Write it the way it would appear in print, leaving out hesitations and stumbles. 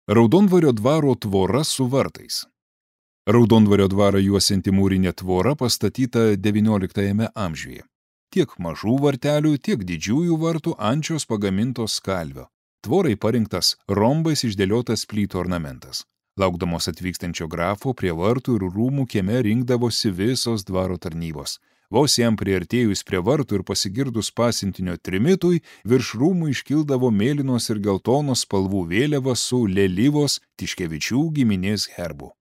Raudondvario dvaro tvora su vartais. Raudondvario dvarą juosianti mūrinė tvora pastatyta XIX amžiuje. Tiek mažų vartelių, tiek didžiųjų vartų ančios pagamintos skalvio. Tvorai parinktas rombais išdėliotas plytų ornamentas. Laukdamos atvykstančio grafo prie vartų ir rūmų kieme rinkdavosi visos dvaro tarnybos. Vos jam priartėjus prie vartų ir pasigirdus pasiuntinio trimitui, virš rūmų iškildavo mėlynos ir geltonos spalvų vėliava su Lėlyvos Tiškevičių giminės herbu.